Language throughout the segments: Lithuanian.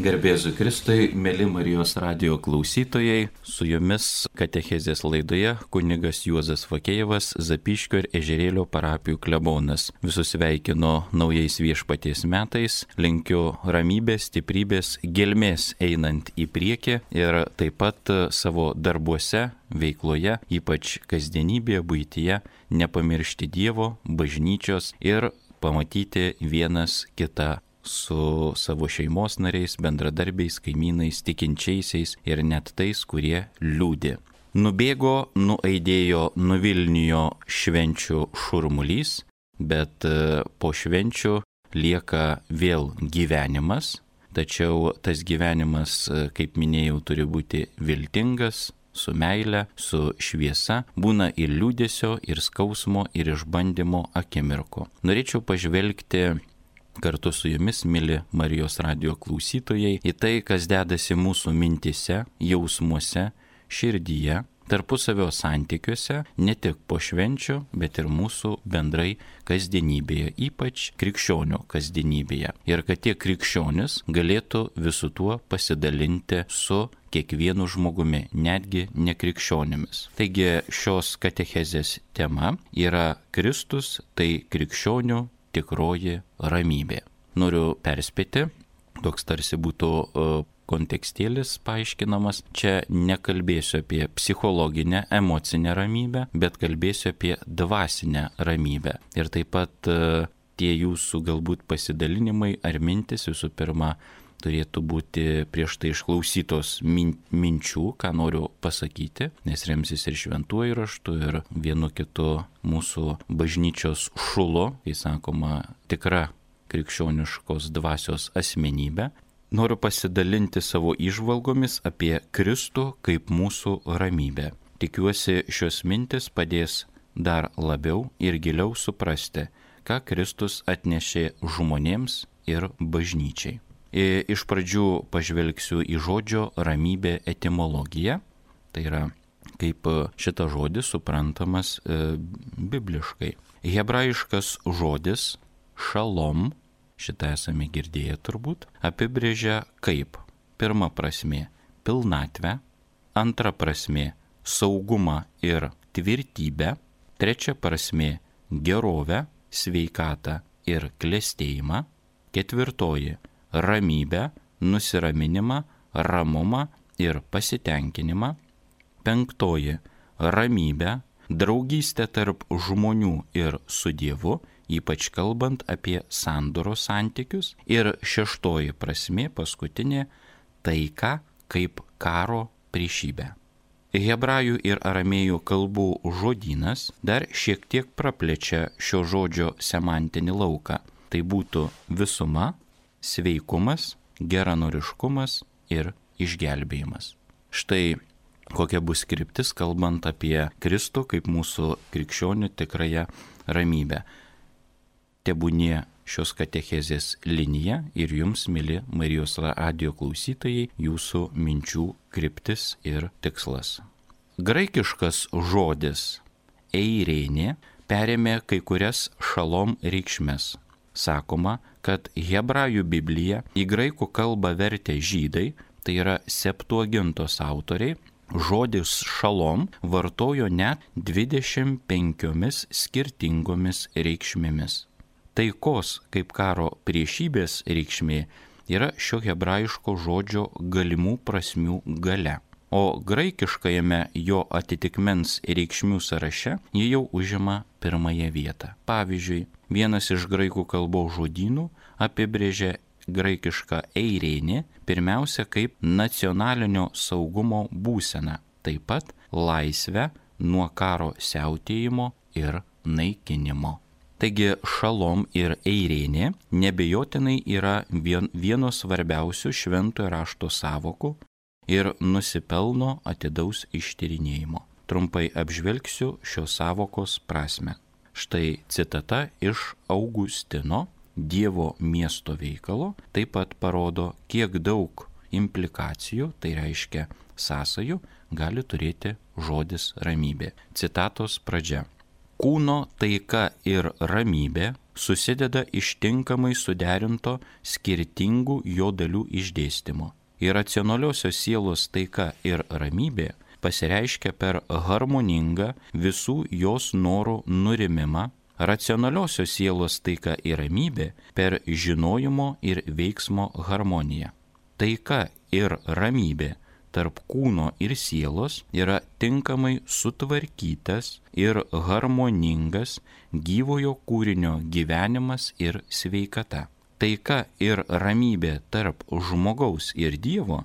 Garbėzu Kristui, mėly Marijos radijo klausytojai, su jumis katechezės laidoje kunigas Juozas Fakėjevas, Zapyškio ir Ežerėlio parapijų klebonas. Visus sveikinu naujais viešpaties metais, linkiu ramybės, stiprybės, gelmės einant į priekį ir taip pat savo darbuose, veikloje, ypač kasdienybėje, buityje, nepamiršti Dievo, bažnyčios ir pamatyti vienas kitą su savo šeimos nariais, bendradarbiais, kaimynais, tikinčiaisiais ir net tais, kurie liūdi. Nubėgo, nuaidėjo, nuvilnijo švenčių šurmulys, bet po švenčių lieka vėl gyvenimas, tačiau tas gyvenimas, kaip minėjau, turi būti viltingas, su meile, su šviesa, būna ir liūdesio, ir skausmo, ir išbandymo akimirko. Norėčiau pažvelgti kartu su jumis, mili Marijos radijo klausytojai, į tai, kas dedasi mūsų mintise, jausmuose, širdyje, tarpusavio santykiuose, ne tik po švenčių, bet ir mūsų bendrai kasdienybėje, ypač krikščionių kasdienybėje. Ir kad tie krikščionis galėtų visu tuo pasidalinti su kiekvienu žmogumi, netgi nekrikščionimis. Taigi šios katechezės tema yra Kristus, tai krikščionių tikroji ramybė. Noriu perspėti, toks tarsi būtų kontekstėlis paaiškinamas. Čia nekalbėsiu apie psichologinę, emocinę ramybę, bet kalbėsiu apie dvasinę ramybę. Ir taip pat tie jūsų galbūt pasidalinimai ar mintis visų pirma turėtų būti prieš tai išklausytos minčių, ką noriu pasakyti, nes remsis ir šventuoju raštu, ir vienu kitu mūsų bažnyčios šulu, kai sakoma, tikra krikščioniškos dvasios asmenybė. Noriu pasidalinti savo įžvalgomis apie Kristų kaip mūsų ramybę. Tikiuosi, šios mintis padės dar labiau ir giliau suprasti, ką Kristus atnešė žmonėms ir bažnyčiai. Iš pradžių pažvelgsiu į žodžio ramybė etimologiją, tai yra kaip šitas žodis suprantamas bibliškai. Hebrajiškas žodis šalom, šitą esame girdėję turbūt, apibrėžia kaip pirma prasmė pilnatvę, antra prasmė saugumą ir tvirtybę, trečia prasmė gerovę, sveikatą ir klestėjimą, ketvirtoji ramybę, nusiraminimą, ramumą ir pasitenkinimą. Penktoji ramybę, draugystę tarp žmonių ir su Dievu, ypač kalbant apie sandoros santykius. Ir šeštoji prasmė, paskutinė, taika kaip karo priešybė. Hebrajų ir aramėjų kalbų žodynas dar šiek tiek praplečia šio žodžio semantinį lauką. Tai būtų visuma, sveikumas, geranoriškumas ir išgelbėjimas. Štai kokia bus kryptis, kalbant apie Kristų kaip mūsų krikščionių tikrąją ramybę. Tebūnie šios katechezės linija ir jums, mili Marijos radijo klausytojai, jūsų minčių kryptis ir tikslas. Graikiškas žodis eirėnė perėmė kai kurias šalom reikšmes. Sakoma, kad Hebrajų Bibliją į graikų kalbą vertę žydai, tai yra Septuagintos autoriai, žodis šalom vartojo net 25 skirtingomis reikšmėmis. Taikos kaip karo priešybės reikšmė yra šio hebrajiško žodžio galimų prasmių galia. O graikiškajame jo atitikmens reikšmių sąraše jie jau užima pirmąją vietą. Pavyzdžiui, vienas iš graikų kalbos žodynų apibrėžia graikišką eirėnį pirmiausia kaip nacionalinio saugumo būseną, taip pat laisvę nuo karo siautėjimo ir naikinimo. Taigi šalom ir eirėnė nebejotinai yra vienos svarbiausių šventojo rašto sąvokų ir nusipelno atidaus ištyrinėjimo. Trumpai apžvelgsiu šios sąvokos prasme. Štai citata iš Augustino Dievo miesto veikalo taip pat parodo, kiek daug implikacijų, tai reiškia sąsajų, gali turėti žodis ramybė. Citatos pradžia. Kūno taika ir ramybė susideda iš tinkamai suderinto skirtingų jo dalių išdėstymo. Iracionaliosios sielos taika ir ramybė pasireiškia per harmoningą visų jos norų nurimimą, racionaliosios sielos taika ir ramybė per žinojimo ir veiksmo harmoniją. Taika ir ramybė tarp kūno ir sielos yra tinkamai sutvarkytas ir harmoningas gyvojo kūrinio gyvenimas ir sveikata. Taika ir ramybė tarp žmogaus ir Dievo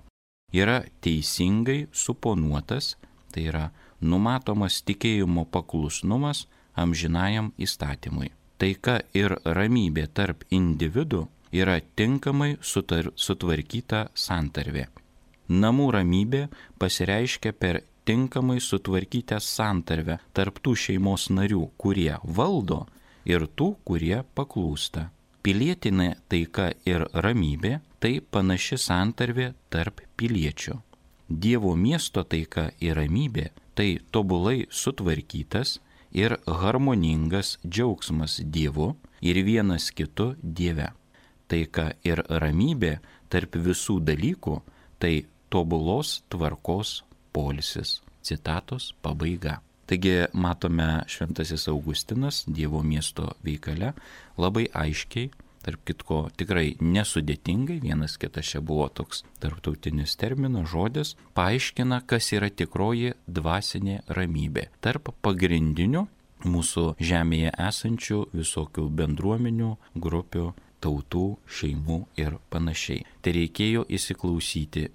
yra teisingai suponuotas, tai yra numatomas tikėjimo paklusnumas amžinajam įstatymui. Taika ir ramybė tarp individų yra tinkamai sutvarkyta santarvė. Namų ramybė pasireiškia per tinkamai sutvarkytą santarvę tarp tų šeimos narių, kurie valdo, ir tų, kurie paklūsta. Pilietinė taika ir ramybė tai panaši santarvė tarp piliečių. Dievo miesto taika ir ramybė tai tobulai sutvarkytas ir harmoningas džiaugsmas Dievu ir vienas kitu Dieve. Taika ir ramybė tarp visų dalykų tai tobulos tvarkos poilsis. Citatos pabaiga. Taigi matome Šventasis Augustinas Dievo miesto veikale labai aiškiai, tarp kitko tikrai nesudėtingai, vienas kitas čia buvo toks tarptautinis terminas, žodis, paaiškina, kas yra tikroji dvasinė ramybė tarp pagrindinių mūsų žemėje esančių visokių bendruomenių, grupių, tautų, šeimų ir panašiai. Tai reikėjo įsiklausyti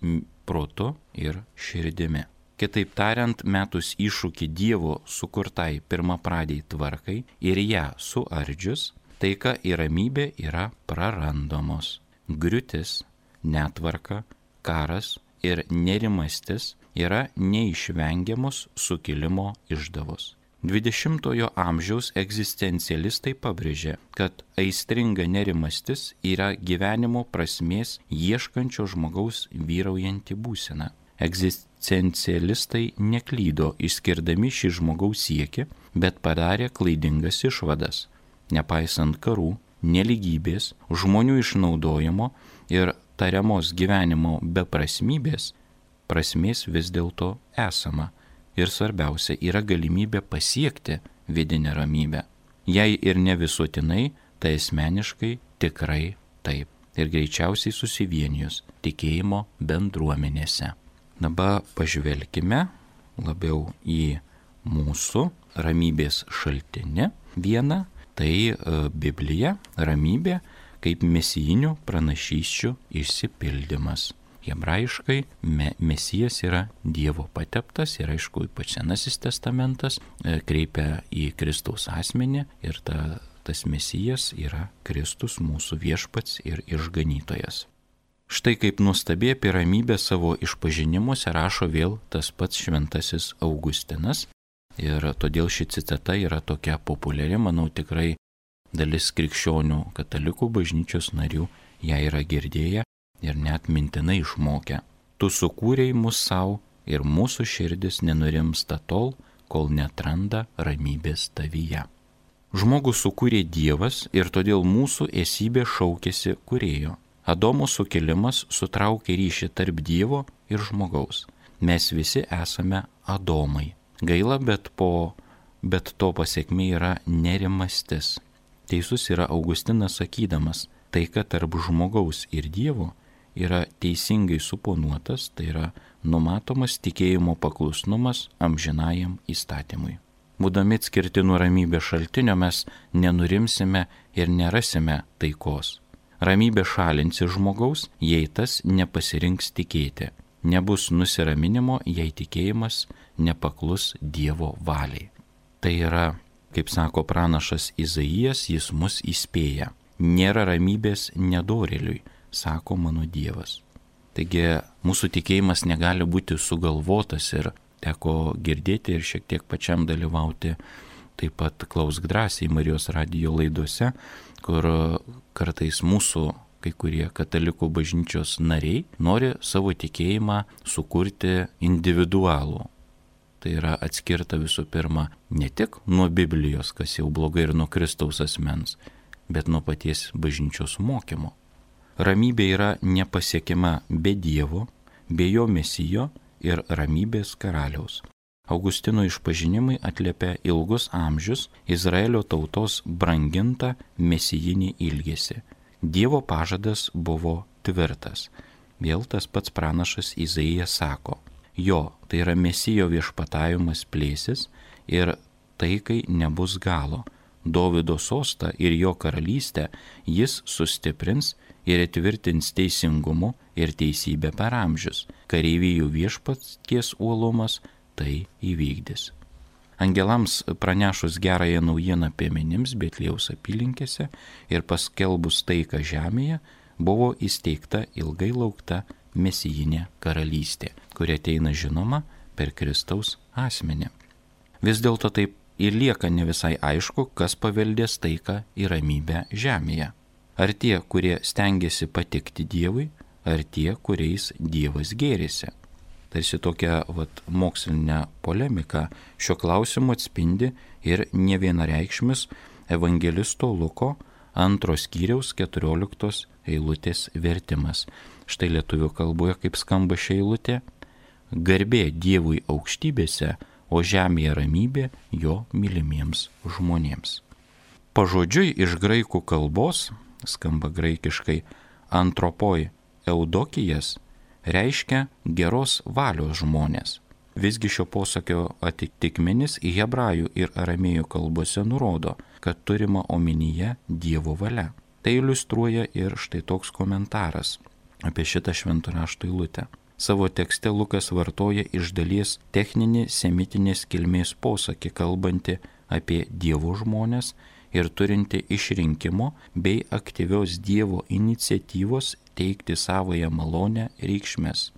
protu ir širdimi. Kitaip tariant, metus iššūkį Dievo sukurtai pirmapradiai tvarkai ir ją suardžius, taika ir ramybė yra prarandamos. Griūtis, netvarka, karas ir nerimastis yra neišvengiamos sukilimo išdavos. 20-ojo amžiaus egzistencialistai pabrėžė, kad aistringa nerimastis yra gyvenimo prasmės ieškančio žmogaus vyraujanti būsena. Egzistencialistai neklydo išskirdami šį žmogaus siekį, bet padarė klaidingas išvadas. Nepaisant karų, neligybės, žmonių išnaudojimo ir tariamos gyvenimo beprasmybės, prasmės vis dėlto esama. Ir svarbiausia yra galimybė pasiekti vidinę ramybę. Jei ir ne visuotinai, tai asmeniškai tikrai taip. Ir greičiausiai susivienijus tikėjimo bendruomenėse. Dabar pažvelkime labiau į mūsų ramybės šaltinį. Viena tai Biblija, ramybė kaip mesijinių pranašysčių išsipildymas. Hebrajiškai Mesijas yra Dievo pateptas ir aišku, ypač Senasis testamentas kreipia į Kristaus asmenį ir tas Mesijas yra Kristus, mūsų viešpats ir išganytojas. Štai kaip nuostabiai apie ramybę savo išpažinimuose rašo vėl tas pats Šventasis Augustinas ir todėl ši citata yra tokia populiari, manau tikrai dalis krikščionių katalikų bažnyčios narių ją yra girdėję ir net mintinai išmokę. Tu sukūrei mus savo ir mūsų širdis nenurimsta tol, kol netranda ramybės tavyje. Žmogų sukūrė Dievas ir todėl mūsų esybė šaukėsi kūrėjo. Adomo sukilimas sutraukė ryšį tarp Dievo ir žmogaus. Mes visi esame Adomai. Gaila, bet to pasiekmė yra nerimastis. Teisus yra Augustinas sakydamas, taika tarp žmogaus ir Dievo yra teisingai suponuotas, tai yra numatomas tikėjimo paklusnumas amžinajam įstatymui. Būdami atskirti nuo ramybės šaltinio mes nenurimsime ir nerasime taikos. Ramybė šalinsi žmogaus, jei tas nepasirinks tikėti. Nebus nusiraminimo, jei tikėjimas nepaklus Dievo valiai. Tai yra, kaip sako pranašas Izaijas, jis mus įspėja. Nėra ramybės nedorėliui, sako mano Dievas. Taigi mūsų tikėjimas negali būti sugalvotas ir teko girdėti ir šiek tiek pačiam dalyvauti taip pat Klausk drąsiai Marijos radijo laidose, kur kartais mūsų kai kurie katalikų bažnyčios nariai nori savo tikėjimą sukurti individualų. Tai yra atskirta visų pirma ne tik nuo Biblijos, kas jau blogai, ir nuo Kristaus asmens, bet nuo paties bažnyčios mokymo. Ramybė yra nepasiekiama be Dievo, be jo Mesijo ir ramybės karaliaus. Augustino išpažinimai atliepia ilgus amžius Izraelio tautos brangintą mesijinį ilgesį. Dievo pažadas buvo tvirtas. Vėl tas pats pranašas Izaijas sako, jo, tai yra Mesijo viešpatavimas plėsis ir taikai nebus galo. Dovydo sostą ir jo karalystę jis sustiprins ir įtvirtins teisingumu ir teisybę per amžius. Kareivijų viešpaties uolumas tai įvykdys. Angelams pranešus gerąją naujieną piemenims Betliejaus apylinkėse ir paskelbus taiką žemėje, buvo įsteigta ilgai laukta mesijinė karalystė, kuri ateina žinoma per Kristaus asmenį. Vis dėlto taip ir lieka ne visai aišku, kas paveldės taiką ir ramybę žemėje. Ar tie, kurie stengiasi patikti Dievui, ar tie, kuriais Dievas gėrisi. Tarsi tokia mokslinė polemika šio klausimu atspindi ir nevienareikšmis evangelisto Luko 2 skyriaus 14 eilutės vertimas. Štai lietuvių kalboje kaip skamba ši eilutė: garbė Dievui aukštybėse, o žemėje ramybė jo mylimiems žmonėms. Pažodžiui iš graikų kalbos, skamba graikiškai antropoi eudokijas, reiškia geros valios žmonės. Visgi šio posakio atitikmenis į hebrajų ir aramėjų kalbose nurodo, kad turima omenyje Dievo valia. Tai iliustruoja ir štai toks komentaras apie šitą švento rašto eilutę. Savo tekste Lukas vartoja iš dalies techninį semitinės kilmės posakį, kalbantį apie Dievo žmonės ir turinti išrinkimo bei aktyvios Dievo iniciatyvos teikti savąją malonę reikšmes.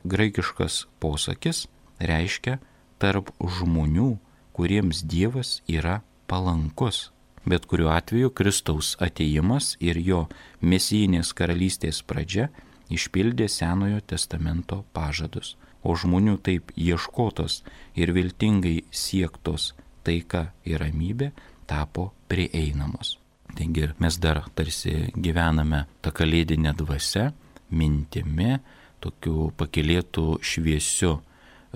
Graikiškas posakis reiškia tarp žmonių, kuriems Dievas yra palankus. Bet kuriuo atveju Kristaus atėjimas ir jo mesijinės karalystės pradžia išpildė Senojo testamento pažadus, o žmonių taip ieškotos ir viltingai siektos taika ir ramybė tapo prieinamos. Taigi mes dar tarsi gyvename tą kalėdinę dvasią, mintimi, tokiu pakylėtų šviesiu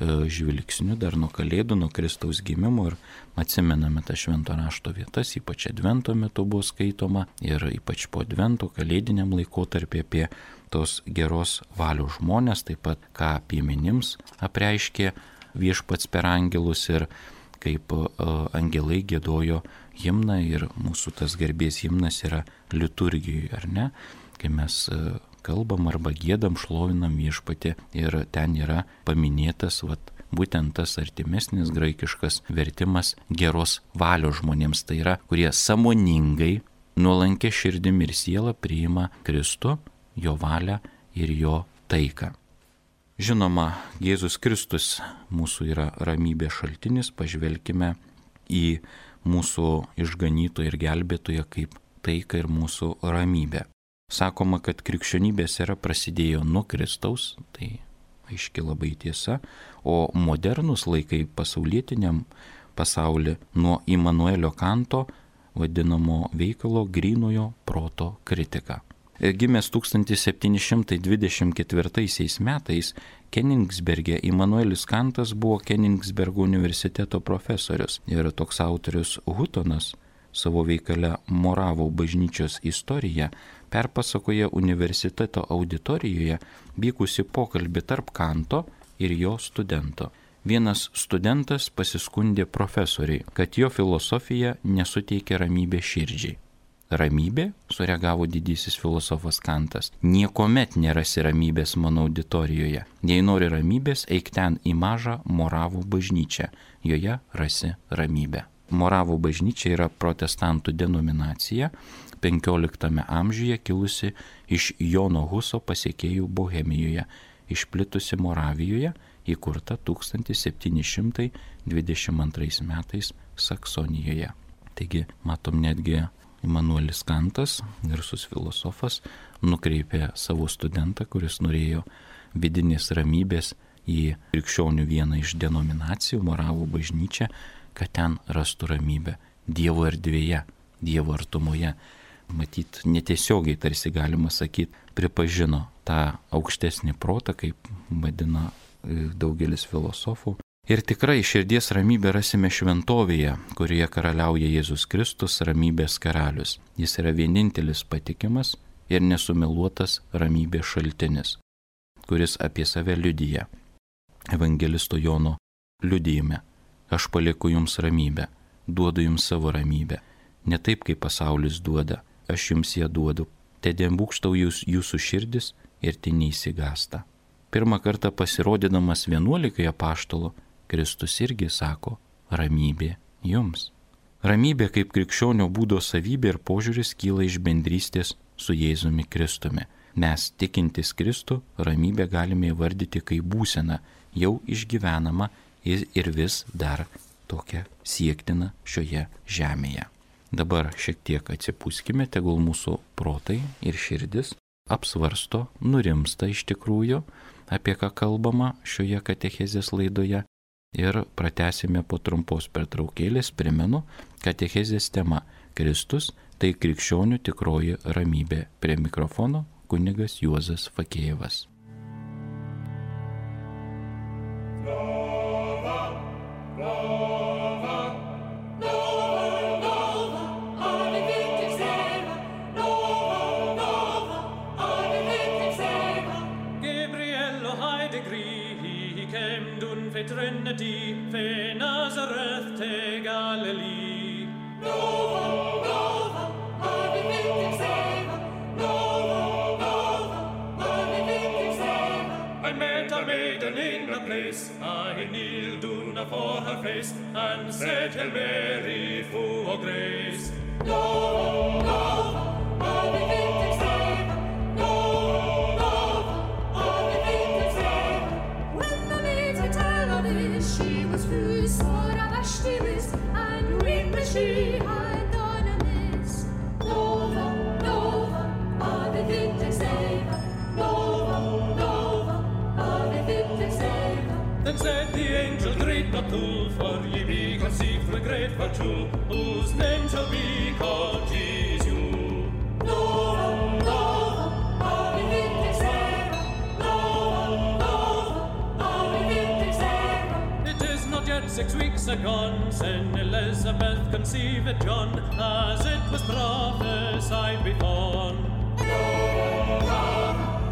žvilgsniu dar nuo kalėdų, nuo Kristaus gimimo ir atsimename tą švento rašto vietas, ypač advento metu buvo skaitoma ir ypač po advento kalėdiniam laikotarpį apie tos geros valios žmonės, taip pat ką piemenims apreiškė viešpats per angelus ir kaip angelai giedojo himną ir mūsų tas garbės himnas yra liturgijoje, ar ne? Kai mes kalbam arba giedam, šlovinam viešpatį ir ten yra paminėtas būtent tas artimesnis graikiškas vertimas geros valios žmonėms, tai yra, kurie sąmoningai, nuolankia širdim ir siela priima Kristų, jo valią ir jo taiką. Žinoma, Jėzus Kristus mūsų yra ramybės šaltinis, pažvelkime į mūsų išganytoją ir gelbėtoją kaip taiką ir mūsų ramybę. Sakoma, kad krikščionybės era prasidėjo nuo Kristaus, tai aiški labai tiesa, o modernus laikai pasaulietiniam pasaulyje nuo Immanuelio Kanto vadinamo veikalo grynojo proto kritika. Gimęs 1724 metais Kenigsberge, Immanuelis Kantas buvo Kenigsbergo universiteto profesorius ir toks autorius Hutonas savo veikale Moravų bažnyčios istoriją perpasakoja universiteto auditorijoje vykusi pokalbį tarp Kanto ir jo studento. Vienas studentas pasiskundė profesoriui, kad jo filosofija nesuteikia ramybės širdžiai. Ramybė, sureagavo didysis filosofas Kantas, niekuomet nerasi ramybės mano auditorijoje. Jei nori ramybės, eik ten į mažą Moravų bažnyčią, joje rasi ramybę. Moravų bažnyčia yra protestantų denominacija, 15 amžiuje kilusi iš Jono Huso pasekėjų Bohemijoje, išplitusi Moravijoje, įkurta 1722 metais Saksonijoje. Taigi, matom, netgi Immanuelis Kantas, garsus filosofas, nukreipė savo studentą, kuris norėjo vidinės ramybės į krikščionių vieną iš denominacijų, Moravų bažnyčią, kad ten rastų ramybę Dievo erdvėje, Dievo artumoje. matyt, netiesiogiai tarsi galima sakyti, pripažino tą aukštesnį protą, kaip vadina daugelis filosofų. Ir tikrai širdies ramybę rasime šventovėje, kurioje karaliauja Jėzus Kristus, ramybės karalius. Jis yra vienintelis patikimas ir nesumeluotas ramybės šaltinis, kuris apie save liudija. Evangelisto Jono liudijime: aš palieku jums ramybę, duodu jums savo ramybę. Ne taip, kaip pasaulis duoda, aš jums ją duodu. Tedien būkštau jūsų širdis ir tai neįsigąsta. Pirmą kartą pasirodydamas 11 apaštalų, Kristus irgi sako: ramybė jums. Ramybė kaip krikščionio būdo savybė ir požiūris kyla iš bendrystės su Jėzumi Kristumi. Mes, tikintis Kristų, ramybę galime įvardyti kaip būseną, jau išgyvenama ir vis dar tokia siektina šioje žemėje. Dabar šiek tiek atsipūskime, tegul mūsų protai ir širdis apsvarsto, nurimsta iš tikrųjų, apie ką kalbama šioje katechezės laidoje, ir pratęsime po trumpos pertraukėlės. Primenu, katechezės tema – Kristus tai krikščionių tikroji ramybė. Prie mikrofono kunigas Juozas Fakėjevas. Trinity, fe Nazareth te Galilee. Nova, Nova, ave victim Seva. Nova, Nova, ave victim Seva. I met a maiden in a place, I kneeled down afore her face, and said, Hail Mary, full of grace. Nova, Nova, ave victim Seva. Nova, Nova, ave victim Seva. When the maiden tell of this, she was free, sore of a stivis, and weeping she had done amiss. Nova, Nova, ave victim Seva. Nova, Nova, ave victim Seva. Then said the angel, great not too, for ye be conceived with great virtue, whose name shall be called Jesus. Nova, Nova, ave victim Seva. Nova, Nova, ave victim Seva. It is not yet 6 weeks agone, sin Elizabeth conceived John, as it was prophesied before. Nova, Nova,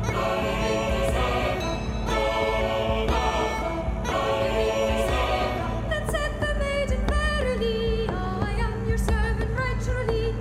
ave victim Seva. Nova, Nova, ave victim Seva. Then said the maiden verily, I am your servant righteously.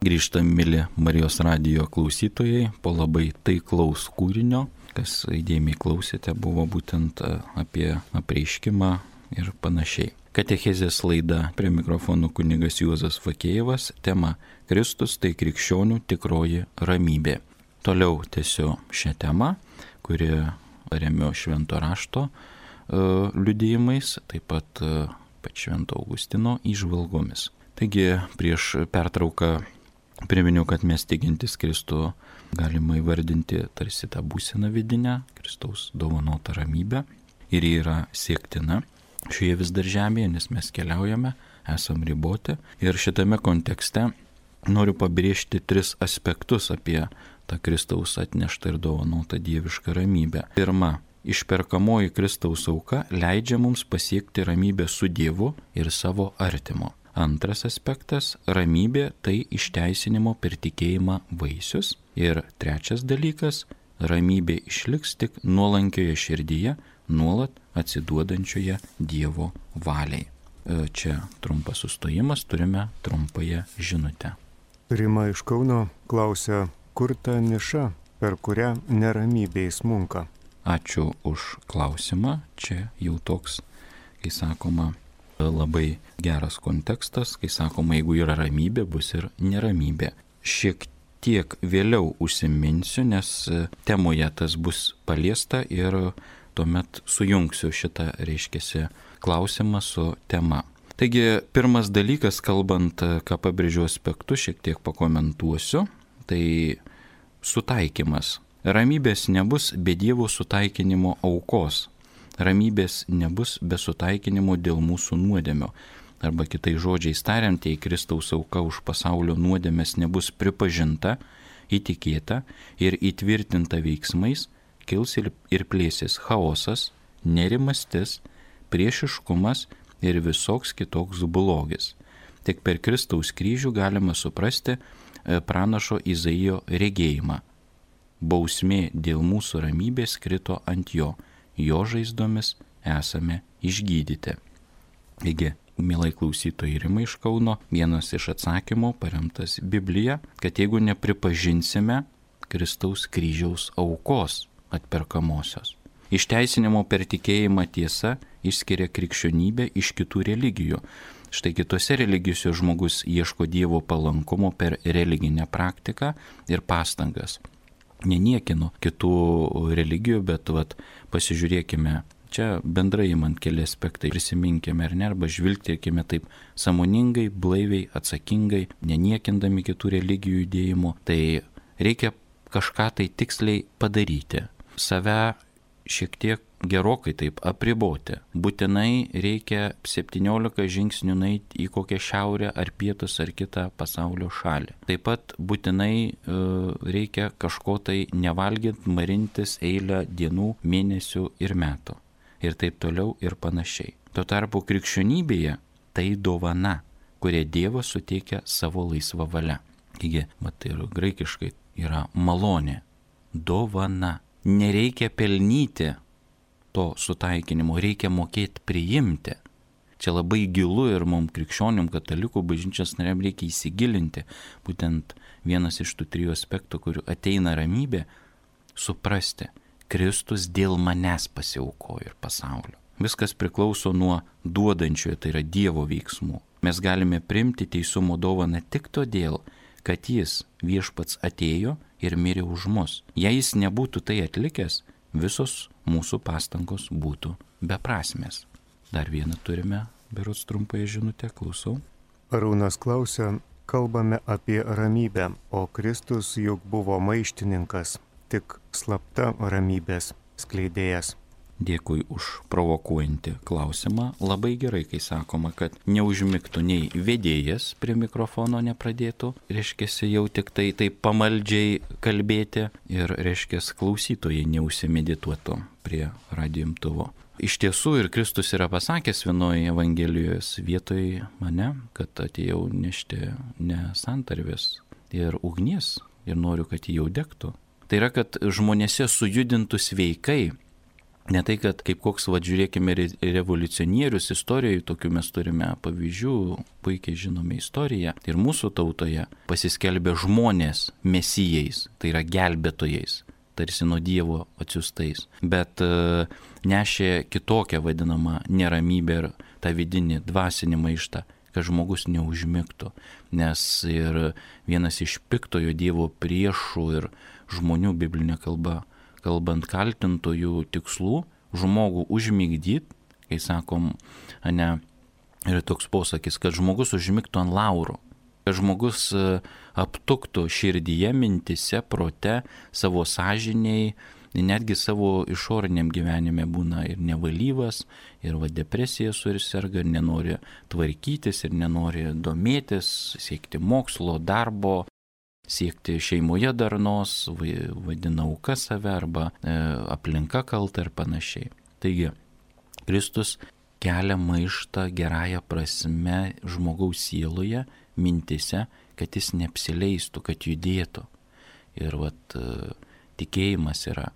Grįžtam, mili Marijos radijo klausytojai, po labai taiklaus kūrinio, kas įdėmiai klausėte, buvo būtent apie apreiškimą ir panašiai. Katechezės laida, prie mikrofonų kunigas Juozas Fakėjevas, tema Kristus tai krikščionių tikroji ramybė. Toliau tęsiu šią temą, kuri remiu švento rašto liudijimais, taip pat švento Augustino įžvalgomis. Taigi prieš pertrauką priminiau, kad mes tikintis Kristų galima įvardinti tarsi tą būseną vidinę, Kristaus dovanotą ramybę, ir ji yra siektina šioje vis dar žemėje, nes mes keliaujame, esam riboti. Ir šitame kontekste noriu pabrėžti 3 aspektus apie tą Kristaus atneštą ir dovanotą dievišką ramybę. Pirma, išperkamoji Kristaus auka leidžia mums pasiekti ramybę su Dievu ir savo artimu. Antras aspektas – ramybė tai išteisinimo per tikėjimą vaisius. Ir trečias dalykas – ramybė išliks tik nuolankioje širdyje, nuolat atsiduodančioje Dievo valiai. Čia trumpas sustojimas, turime trumpąją žinutę. Rima iš Kauno klausia, kur ta niša, per kurią neramybė įsmunka? Ačiū už klausimą. Čia jau toks, kai sakoma, labai geras kontekstas, kai sakoma, jeigu yra ramybė, bus ir neramybė. Šiek tiek vėliau užsiminsiu, nes temoje tas bus paliesta ir tuomet sujungsiu šitą, reiškiasi, klausimą su tema. Taigi, pirmas dalykas, kalbant, ką pabrėžiu aspektu, šiek tiek pakomentuosiu, tai sutaikymas. Ramybės nebus be Dievo sutaikinimo aukos. Ramybės nebus be sutaikinimo dėl mūsų nuodėmio. Arba kitais žodžiais tariant, jei Kristaus auka už pasaulio nuodėmės nebus pripažinta, įtikėta ir įtvirtinta veiksmais, kils ir plėsis chaosas, nerimastis, priešiškumas ir visoks kitoks blogis. Tik per Kristaus kryžių galima suprasti pranašo Izaijo regėjimą. Bausmė dėl mūsų ramybės krito ant jo žaizdomis esame išgydyti. Taigi, mielai klausytojai, Rima iš Kauno, vienas iš atsakymų paremtas Biblija, kad jeigu nepripažinsime Kristaus kryžiaus aukos atperkamosios. Išteisinimo per tikėjimą tiesa išskiria krikščionybę iš kitų religijų. Štai kitose religijose žmogus ieško Dievo palankumo per religinę praktiką ir pastangas. Neniekinu kitų religijų, bet pasižiūrėkime, čia bendrai imant keli aspektai, prisiminkime ar ne, arba žvilgtelkime taip sąmoningai, blaiviai, atsakingai, neniekindami kitų religijų judėjimų. Tai reikia kažką tai tiksliai padaryti, save šiek tiek gerokai taip apriboti. Būtinai reikia 17 žingsnių nueiti į kokią šiaurę ar pietus ar kitą pasaulio šalį. Taip pat būtinai reikia kažko tai nevalgyt, marintis eilę dienų, mėnesių ir metų. Ir taip toliau ir panašiai. Tuo tarpu krikščionybėje tai dovana, kurią Dievas suteikia savo laisvą valią. Taigi, tai ir graikiškai yra malonė, dovana. Nereikia pelnyti to sutaikinimo, reikia mokėti priimti. Čia labai gilu ir mums krikščionim, katalikų bažnyčios nariam reikia įsigilinti. Būtent vienas iš tų 3 aspektų, kurių ateina ramybė, suprasti, Kristus dėl manęs pasiaukojo ir pasaulio. Viskas priklauso nuo duodančiojo, tai yra Dievo veiksmų. Mes galime priimti teisumo dovaną tik todėl, kad jis viešpats atėjo ir mirė už mus. Jei jis nebūtų tai atlikęs, visos mūsų pastangos būtų beprasmės. Dar vieną turime, berods trumpąją žinutę, klausau. Arūnas klausia, kalbame apie ramybę, o Kristus juk buvo maištininkas, tik slapta ramybės skleidėjas. Dėkui už provokuojantį klausimą. Labai gerai, kai sakoma, kad neužmigtų nei vedėjas prie mikrofono nepradėtų, reiškiasi jau tik tai taip pamaldžiai kalbėti ir reiškiasi klausytojai neužsimedituotų prie radijo imtuvo. Iš tiesų ir Kristus yra pasakęs vienoje Evangelijos vietoje mane, kad atėjau nešti ne santarvės ir ugnies ir noriu, kad jį jau degtų. Tai yra, kad žmonėse sujudintų sveikai. Ne tai, kad kaip koks, žiūrėkime, revoliucionierius istorijoje, tokių mes turime pavyzdžių, puikiai žinome istoriją. Ir mūsų tautoje pasiskelbė žmonės mesijais, tai yra gelbėtojais, tarsi nuo Dievo atsiųstais. Bet nešė kitokią vadinamą neramybę ir tą vidinį dvasinį maištą, kad žmogus neužmigtų. Nes ir vienas iš piktojo Dievo priešų ir žmonių biblinė kalba, kalbant kaltintojų tikslų, žmogų užmigdyti, kai sakom, ne, yra toks posakis, kad žmogus užmigtų ant laurų, kad žmogus aptuktų širdyje, mintise, prote, savo sąžiniai, netgi savo išoriniam gyvenime būna ir nevalyvas, ir depresija suserga, ir nenori tvarkytis, ir nenori domėtis, siekti mokslo, darbo, siekti šeimoje darnos, vadina auka save arba aplinka kalta ir panašiai. Taigi, Kristus kelia maištą gerąją prasme žmogaus sieloje, mintise, kad jis neapsileistų, kad judėtų. Ir tikėjimas yra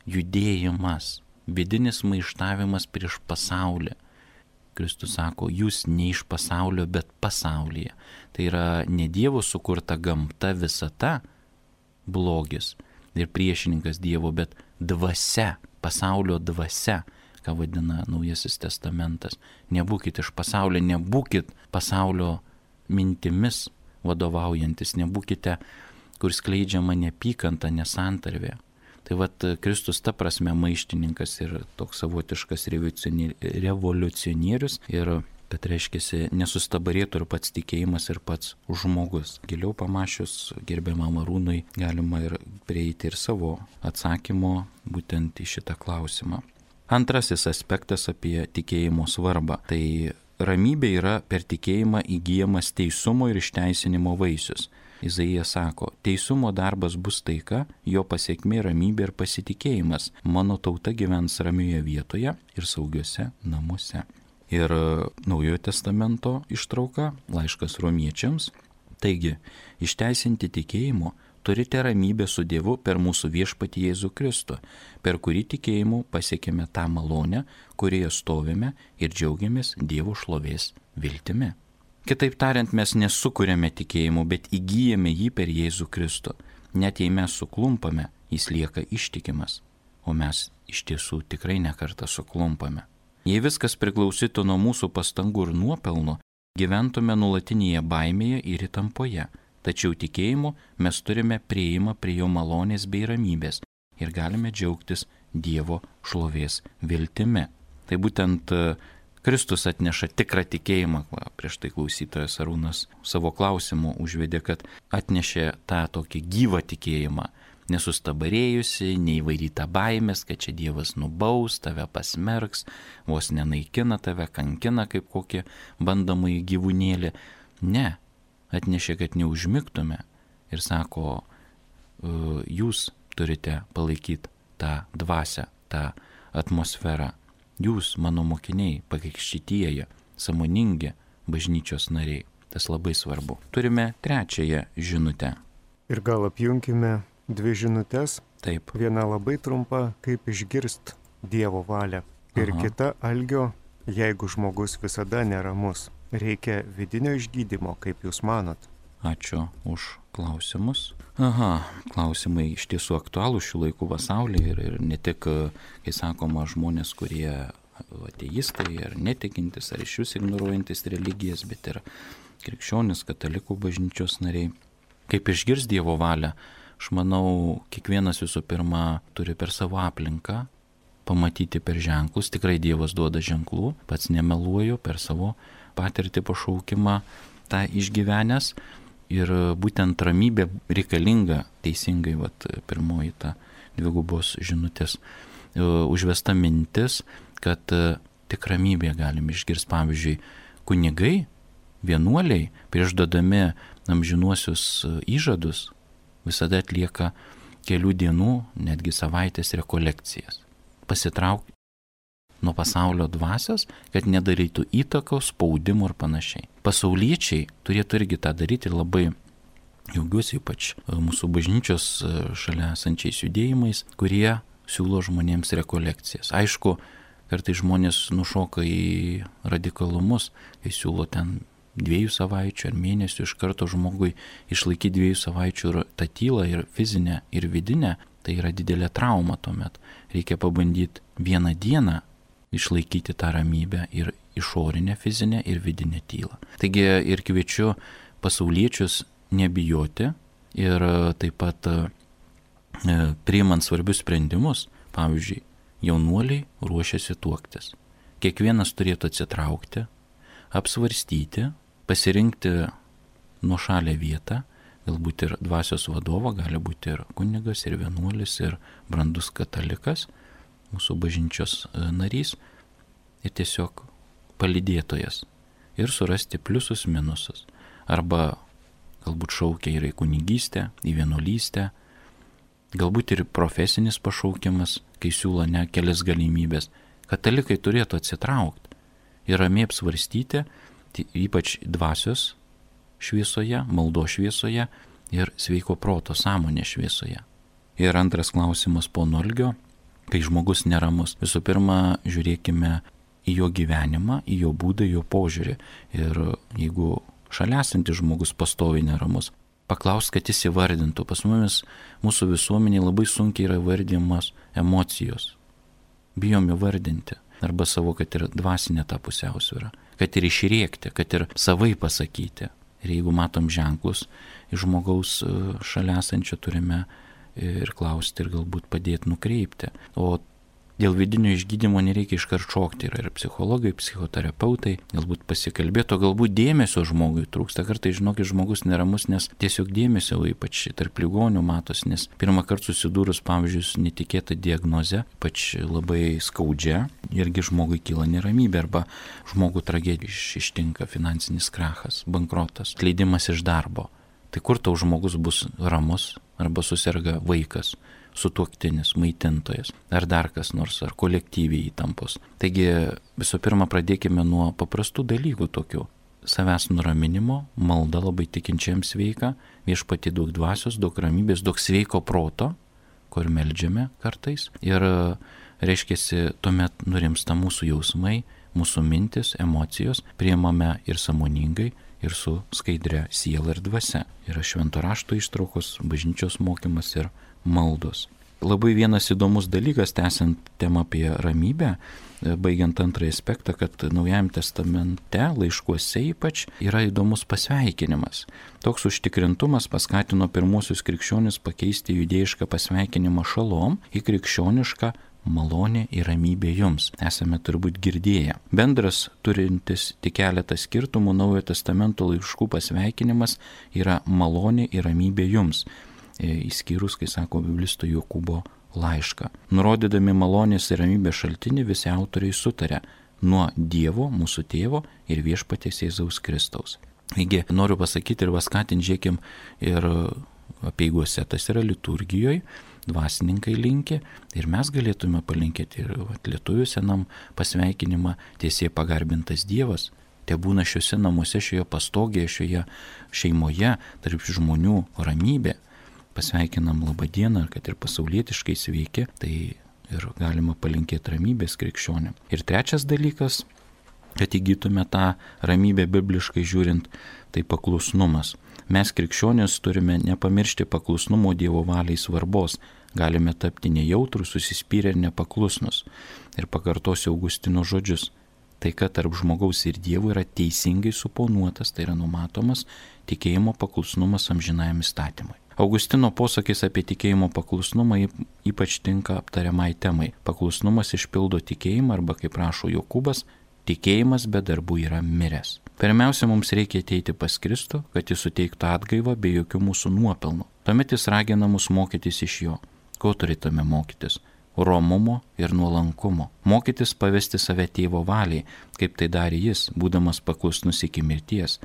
judėjimas, vidinis maištavimas prieš pasaulį. Kristus sako, jūs ne iš pasaulio, bet pasaulyje. Tai yra ne Dievo sukurta gamta, visata, blogis ir priešininkas Dievo, bet dvasia, pasaulio dvasia, ką vadina Naujasis testamentas. Nebūkit iš pasaulio, nebūkit pasaulio mintimis vadovaujantis, nebūkite, kur skleidžiama neapykanta, nesantarvė. Tai Kristus ta prasme maištininkas ir toks savotiškas revoliucionierius ir kad reiškia nesustabarėtų ir pats tikėjimas, ir pats žmogus. Giliau pamačius gerbiamam Arūnui galima ir prieiti ir savo atsakymo būtent į šitą klausimą. Antrasis aspektas apie tikėjimo svarbą. Tai ramybė yra per tikėjimą įgyjamas teisumo ir išteisinimo vaisius. Izaijas sako, teisumo darbas bus taika, jo pasiekmė ramybė ir pasitikėjimas. Mano tauta gyvens ramioje vietoje ir saugiuose namuose. Ir Naujojo testamento ištrauka, laiškas romiečiams. Taigi, išteisinti tikėjimu turite ramybę su Dievu per mūsų viešpatį Jėzų Kristų, per kurį tikėjimu pasiekėme tą malonę, kurioje stovime ir džiaugiamės Dievo šlovės viltimi. Kitaip tariant, mes nesukuriame tikėjimu, bet įgyjame jį per Jėzų Kristų. Net jei mes suklumpame, jis lieka ištikimas, o mes iš tiesų tikrai nekartą suklumpame. Jei viskas priklausytų nuo mūsų pastangų ir nuopelnų, gyventume nuolatinėje baimėje ir įtampoje. Tačiau tikėjimu mes turime prieimą prie jo malonės bei ramybės ir galime džiaugtis Dievo šlovės viltimi. Tai būtent Kristus atneša tikrą tikėjimą. Prieš tai klausytojas Arūnas savo klausimu užvedė, kad atnešė tą tokį gyvą tikėjimą, nesustabarėjusi, neįvairyta baimės, kad čia Dievas nubaus, tave pasmerks, vos nenaikina tave, kankina kaip kokį bandomąjį gyvūnėlį. Ne, atnešė, kad neužmigtume ir sako, jūs turite palaikyti tą dvasią, tą atmosferą. Jūs, mano mokiniai, pakrikštytieji, sąmoningi bažnyčios nariai. Tas labai svarbu. Turime trečiąją žinutę. Ir gal apjungime dvi žinutės. Taip. Viena labai trumpa, kaip išgirst Dievo valią. Ir kita algio, jeigu žmogus visada neramus. Reikia vidinio išgydymo, kaip jūs manot. Ačiū už klausimus. Klausimai iš tiesų aktualūs šių laikų pasaulyje ir ne tik, kai sakoma, žmonės, kurie ateistai ar netikintis, ar iš vis ignoruojantis religijas, bet ir krikščionis, katalikų bažnyčios nariai. Kaip išgirs Dievo valią, aš manau, kiekvienas visų pirma turi per savo aplinką pamatyti per ženklus. Tikrai Dievas duoda ženklų, pats nemeluoju, per savo patirtį pašaukimą tą išgyvenęs. Ir būtent ramybė reikalinga teisingai, pirmoji ta dvigubos žinutės užvesta mintis, kad tik ramybė galim išgirsti. Pavyzdžiui, kunigai, vienuoliai, prieš duodami amžinuosius įžadus, visada atlieka kelių dienų, netgi savaitės rekolekcijas. Pasitraukti nuo pasaulio dvasios, kad nedarytų įtakos, spaudimo ir panašiai. Pasauliečiai turėtų irgi tą daryti ir labai džiaugiuosi ypač mūsų bažnyčios šalia esančiais judėjimais, kurie siūlo žmonėms rekolekcijas. Aišku, kartais žmonės nušoka į radikalumus, kai siūlo ten 2 savaičių ar mėnesių iš karto žmogui išlaikyti 2 savaičių ir tą tylą ir fizinę ir vidinę, tai yra didelė trauma tuomet. Reikia pabandyti 1 dieną išlaikyti tą ramybę ir išorinę fizinę ir vidinę tylą. Taigi ir kviečiu pasauliečius nebijoti ir taip pat priimant svarbius sprendimus, pavyzdžiui, jaunuoliai ruošiasi tuoktis. Kiekvienas turėtų atsitraukti, apsvarstyti, pasirinkti nuošalę vietą, galbūt ir dvasios vadovą, gali būti ir kunigas, ir vienuolis, ir brandus katalikas, mūsų bažnyčios narys ir tiesiog palydėtojas ir surasti pliusus, minusus. Arba galbūt šaukia ir į kunigystę, į vienuolystę, galbūt ir profesinis pašaukimas, kai siūlo ne kelias galimybės. Katalikai turėtų atsitraukti ir ramiai apsvarstyti, ypač dvasios šviesoje, maldos šviesoje ir sveiko proto sąmonės šviesoje. Ir antras klausimas pono Algio. Kai žmogus neramus, visų pirma, žiūrėkime į jo gyvenimą, į jo būdą, į jo požiūrį. Ir jeigu šalia esantis žmogus pastoviai neramus, paklaus, kad jis įvardintų. Pas mumis, mūsų visuomenėje labai sunkiai yra įvardymas emocijos. Bijom įvardinti. Arba savo, kad ir dvasinė ta pusiausvyrą. Kad ir išrėkti, kad ir savai pasakyti. Ir jeigu matom ženklus, iš žmogaus šalia esančio turime ir klausti ir galbūt padėti nukreipti. O Dėl vidinio išgydymo nereikia iškart šokti. Yra ir psichologai, psichoterapeutai, galbūt pasikalbėto, galbūt dėmesio žmogui trūksta. Kartais, žinokit, žmogus neramus, nes tiesiog dėmesio, ypač tarp ligonių matosi, nes pirmą kartą susidūrus, pavyzdžiui, su netikėta diagnoze, ypač labai skaudžia, irgi žmogui kyla neramybė arba žmogų tragedija ištinka finansinis krachas, bankrotas, atleidimas iš darbo. Tai kur tau žmogus bus ramus arba suserga vaikas, sutuoktinis, maitintojas, ar dar kas nors, ar kolektyviai įtampos. Taigi visų pirma pradėkime nuo paprastų dalykų tokių. Savęs nuraminimo, malda labai tikinčiams sveika, Viešpatie daug dvasios, daug ramybės, daug sveiko proto, kur meldžiame kartais. Ir reiškiasi, tuomet nurimsta mūsų jausmai, mūsų mintis, emocijos, priimame ir sąmoningai, ir su skaidria siela ir dvasia. Yra švento rašto ištraukos, bažnyčios mokymas ir maldos. Labai vienas įdomus dalykas, tęsiant temą apie ramybę, baigiant antrąjį aspektą, kad Naujajame testamente, laiškuose ypač, yra įdomus pasveikinimas. Toks užtikrintumas paskatino pirmuosius krikščionis pakeisti judėjišką pasveikinimą šalom į krikščionišką malonė ir ramybė jums. Esame turbūt girdėję. Bendras, turintis tik keletą skirtumų, Naujojo testamento laiškų pasveikinimas yra malonė ir ramybė jums. Įskyrus, kai sako biblisto Jokūbo laišką. Nurodydami malonės ir ramybės šaltinį, visi autoriai sutarė nuo Dievo, mūsų tėvo ir Viešpaties Jėzaus Kristaus. Taigi, noriu pasakyti ir paskatinti, žiūrėkim, ir apeigose, tas yra liturgijoje, dvasininkai linki ir mes galėtume palinkėti ir lietuvių senam pasveikinimą tiesiai pagarbintas Dievas. Te būna šiuose namuose, šioje pastogėje, šioje šeimoje, tarp žmonių ramybė. Pasveikinam labą dieną, kad ir pasaulietiškai sveiki, tai ir galima palinkėti ramybės krikščionėm. Ir trečias dalykas, kad įgytume tą ramybę bibliškai žiūrint, tai paklusnumas. Mes krikščionės turime nepamiršti paklusnumo Dievo valiai svarbos. Galime tapti nejautrus, susispyrę ir nepaklusnus. Ir pakartosiu Augustino žodžius. Tai, kad tarp žmogaus ir Dievo yra teisingai suponuotas, tai yra numatomas tikėjimo paklusnumas amžinajam įstatymui. Augustino posakis apie tikėjimo paklusnumą ypač tinka aptariamai temai. Paklusnumas išpildo tikėjimą arba, kaip rašo Jokūbas, tikėjimas be darbų yra miręs. Pirmiausia, mums reikia ateiti pas Kristų, kad jis suteiktų atgaivą be jokių mūsų nuopelnų. Tuomet jis ragina mus mokytis iš jo. Ko turėtume mokytis? Romumo ir nuolankumo. Mokytis pavesti save tėvo valiai, kaip tai darė jis, būdamas paklusnus iki mirties.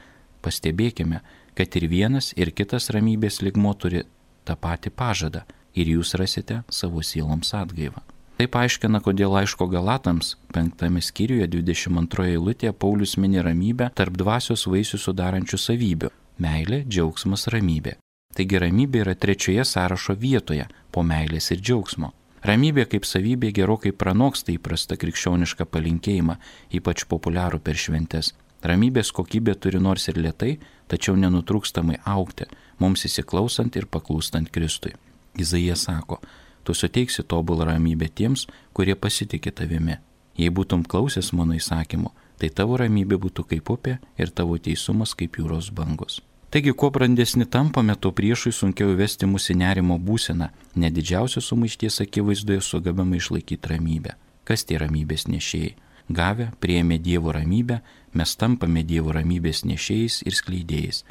Pastebėkime, kad ir vienas, ir kitas ramybės lygmuo turi tą patį pažadą ir jūs rasite savo sieloms atgaivą. Tai paaiškina, kodėl laiško Galatams 5 skyriuje 22 eilutėje Paulius mini ramybę tarp dvasios vaisių sudarančių savybių – meilė, džiaugsmas, ramybė. Taigi ramybė yra trečioje sąrašo vietoje po meilės ir džiaugsmo. Ramybė kaip savybė gerokai pranoksta įprastą krikščionišką palinkėjimą, ypač populiarų per šventes. Ramybės kokybė turi nors ir lėtai, tačiau nenutrūkstamai augti, mums įsiklausant ir paklūstant Kristui. Izaija sako, tu suteiksi tobulą ramybę tiems, kurie pasitikė tavimi. Jei būtum klausęs mano įsakymo, tai tavo ramybė būtų kaip upė ir tavo teisumas kaip jūros bangos. Taigi, kuo brandesni tampame, to priešui sunkiau įvesti mūsų nerimo būseną, net didžiausios sumaišties akivaizdoje sugebame išlaikyti ramybę. Kas tie ramybės nešėjai? Gavę, priėmė Dievo ramybę, mes tampame Dievo ramybės nešėjais ir skleidėjais.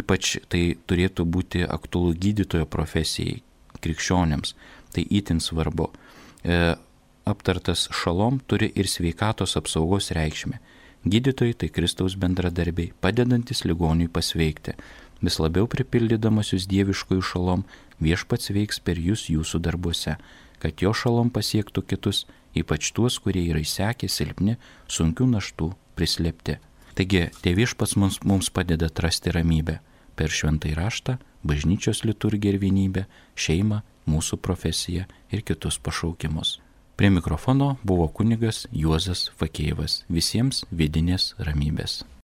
Ypač tai turėtų būti aktualu gydytojo profesijai, krikščionėms. Tai itin svarbu. Aptartas šalom turi ir sveikatos apsaugos reikšmę. Gydytojai tai Kristaus bendradarbiai, padedantis ligoniui pasveikti. Vis labiau pripildydamas jūs dieviškųjų šalom, Viešpats veiks per jūs jūsų darbuose, kad jo šalom pasiektų kitus, ypač tuos, kurie yra įsekę, silpni, sunkių naštų, prislėpti. Taigi, Viešpats mums padeda atrasti ramybę per šventąjį raštą, bažnyčios liturgiją ir vienybę, šeimą, mūsų profesiją ir kitus pašaukimus. Prie mikrofono buvo kunigas Juozas Fakėjevas. Visiems vidinės ramybės.